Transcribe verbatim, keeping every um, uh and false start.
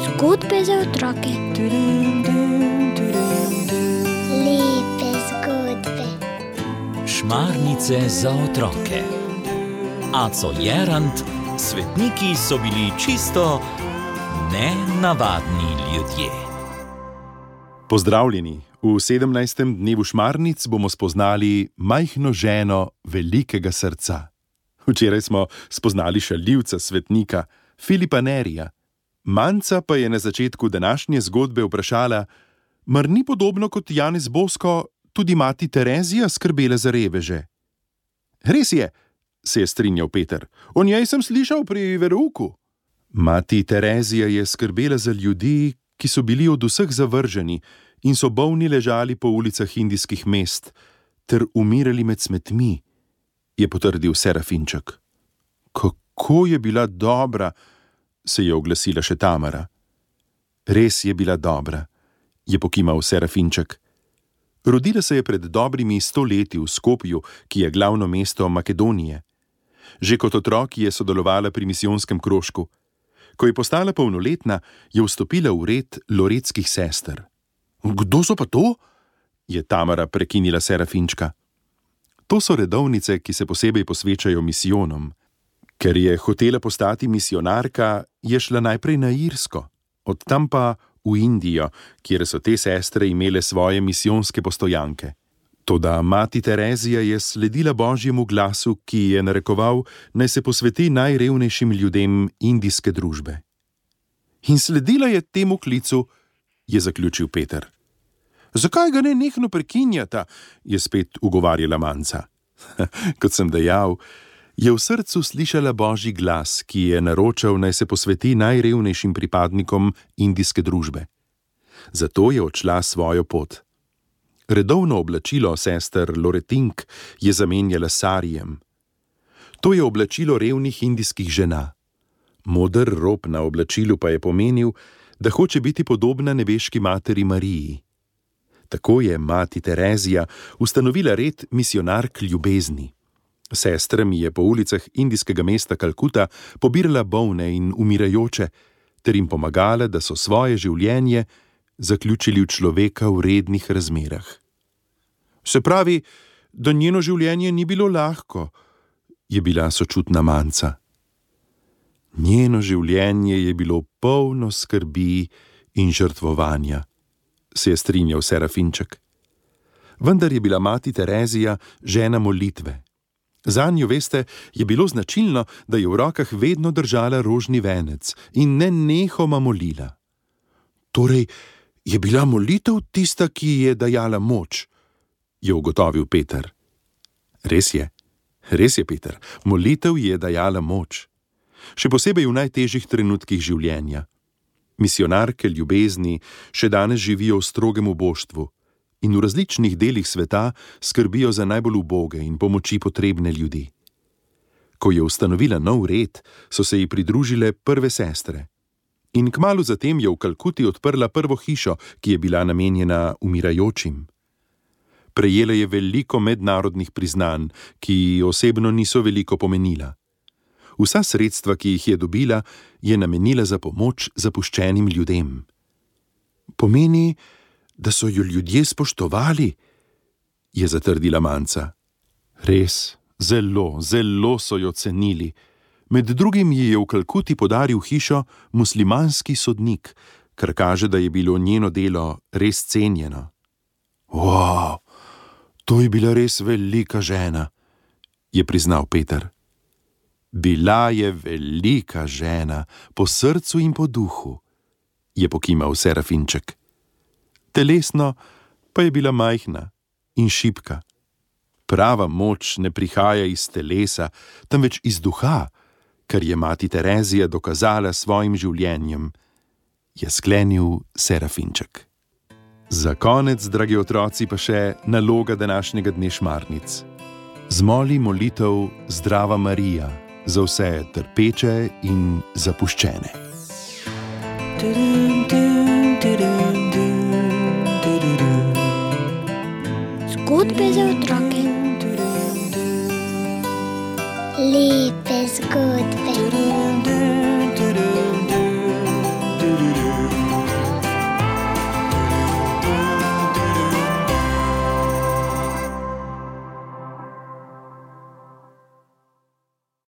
Zgodbe za otroke. Lepe zgodbe. Šmarnice za otroke. Aco Jerant, svetniki so bili čisto nenavadni ljudje. Pozdravljeni! V sedemnajstem dnevu šmarnic bomo spoznali majhno ženo velikega srca. Včeraj smo spoznali šaljivca svetnika, Filipa Nerija. Manca pa je na začetku današnje zgodbe vprašala, mar ni podobno kot Janez Bosko tudi mati Terezija skrbela za reveže? Res je, se je strinjal Peter. O njej sem slišal pri verouku. Mati Terezija je skrbela za ljudi, ki so bili od vseh zavrženi in so bolni ležali po ulicah indijskih mest ter umirali med smetmi, je potrdil Serafinček. Kako je bila dobra, se je oglasila še Tamara. Res je bila dobra, je pokimal Serafinček. Rodila se je pred dobrimi sto leti v Skopju, ki je glavno mesto Makedonije. Že kot otrok je sodelovala pri misijonskem krožku. Ko je postala polnoletna, je vstopila v red loretskih sester. Kdo so pa to? Je Tamara prekinila Serafinčka. To so redovnice, ki se posebej posvečajo misijonom. Ker je hotela postati misijonarka, je šla najprej na Irsko, od tam pa v Indijo, kjer so te sestre imele svoje misijonske postojanke. Toda mati Terezija je sledila Božjemu glasu, ki je narekoval, naj se posveti najrevnejšim ljudem indijske družbe. In sledila je temu klicu, je zaključil Peter. Zakaj ga ne nehno prekinjata, je spet ugovarjala Manca. Kot sem dejal, je v srcu slišala Božji glas, ki je naročal, naj se posveti najrevnejšim pripadnikom indijske družbe. Zato je odšla svojo pot. Redovno oblačilo sester Loretink je zamenjala s sarijem. To je oblačilo revnih indijskih žena. Moder rob na oblačilu pa je pomenil, da hoče biti podobna nebeški materi Mariji. Tako je mati Terezija ustanovila red misijonark ljubezni. Sestrami je po ulicah indijskega mesta Kalkuta pobirala bolne in umirajoče, ter jim pomagala, da so svoje življenje zaključili v človeka v rednih razmerah. Se pravi, da njeno življenje ni bilo lahko, je bila sočutna Manca. Njeno življenje je bilo polno skrbi in žrtvovanja, se je strinjal Serafinček. Vendar je bila mati Terezija žena molitve. Zanjo, veste, je bilo značilno, da je v rokah vedno držala rožni venec in nenehoma molila. Torej, je bila molitev tista, ki ji je dajala moč, je ugotovil Peter. Res je, res je, Peter, molitev ji je dajala moč. Še posebej v najtežjih trenutkih življenja. Misijonarke ljubezni še danes živijo v strogem uboštvu in v različnih delih sveta skrbijo za najbolj uboge in pomoči potrebne ljudi. Ko je ustanovila nov red, so se ji pridružile prve sestre. In kmalu zatem je v Kalkuti odprla prvo hišo, ki je bila namenjena umirajočim. Prejela je veliko mednarodnih priznanj, ki osebno niso veliko pomenila. Vsa sredstva, ki jih je dobila, je namenila za pomoč zapuščenim ljudem. Pomeni, da so jo ljudje spoštovali, je zatrdila Manca. Res, zelo, zelo so jo cenili. Med drugim ji je v Kalkuti podaril hišo muslimanski sodnik, kar kaže, da je bilo njeno delo res cenjeno. Wow, to je bila res velika žena, je priznal Peter. Bila je velika žena, po srcu in po duhu, je pokimal Serafinček. Telesno pa je bila majhna in šibka. Prava moč ne prihaja iz telesa, temveč iz duha, kar je mati Terezija dokazala svojim življenjem, je sklenil Serafinček. Za konec, dragi otroci, pa še naloga današnjega dne šmarnic. Zmoli molitev Zdrava Marija za vse trpeče in zapuščene. Zgodbe za otroke. Lepe zgodbe.